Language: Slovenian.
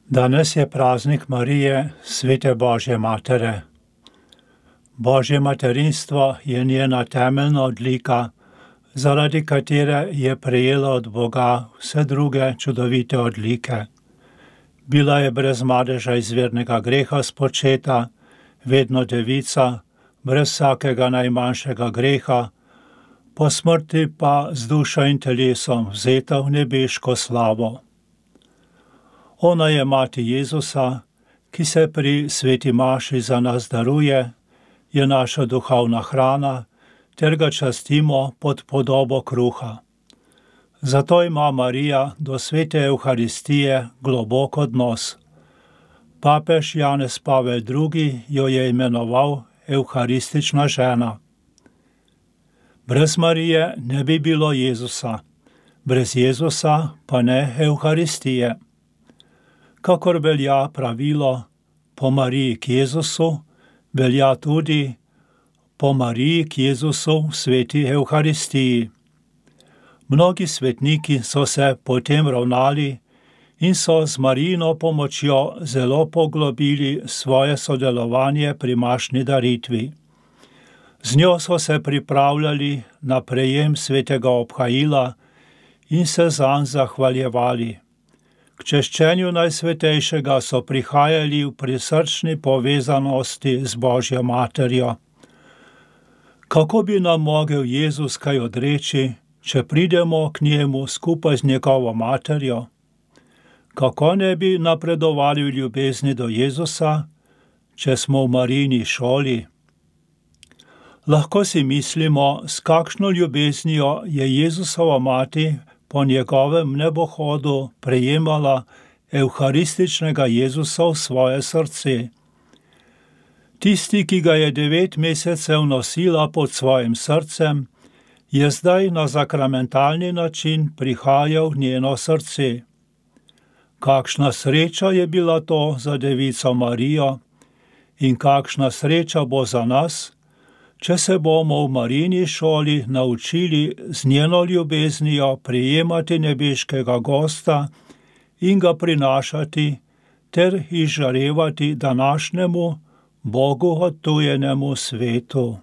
Danes je praznik Marije, svete Božje matere. Božje materinstvo je njena temeljna odlika, zaradi katere je prejela od Boga vse druge čudovite odlike. Bila je brez madeža izvirnega greha spočeta, vedno devica, brez vsakega najmanjšega greha, po smrti pa z dušo in telesom vzeta v nebeško slavo. Ona je mati Jezusa, ki se pri sveti maši za nas daruje, je naša duhovna hrana, ter ga častimo pod podobo kruha. Zato ima Marija do svete Evharistije globok odnos. Papež Janez Pavel II. Jo je imenoval evharistična žena. Brez Marije ne bi bilo Jezusa, brez Jezusa pa ne Evharistije. Kakor velja pravilo po Mariji k Jezusu, velja tudi po Mariji k Jezusu v sveti Evharistiji. Mnogi svetniki so se potem ravnali in so z Marijino pomočjo zelo poglobili svoje sodelovanje pri mašni daritvi. Z njo so se pripravljali na prejem svetega obhajila in se zanj zahvaljevali. K češčenju Najsvetejšega so prihajali v prisrčni povezanosti z Božjo materjo. Kako bi nam mogel Jezus kaj odreči, če pridemo k njemu skupaj z njegovo materjo? Kako ne bi napredovali v ljubezni do Jezusa, če smo v Marijini šoli? Lahko si mislimo, s kakšno ljubeznijo je Jezusova mati po njegovem nebohodu prejemala evharističnega Jezusa v svoje srce. Tisti, ki ga je 9 mesecev nosila pod svojim srcem, je zdaj na sakramentalni način prihajal v njeno srce. Kakšna sreča je bila to za devico Marijo in kakšna sreča bo za nas, če se bomo v Marijini šoli naučili z njeno ljubeznijo prijemati nebeškega gosta in ga prinašati ter izžarevati današnjemu Bogu odtujenemu svetu.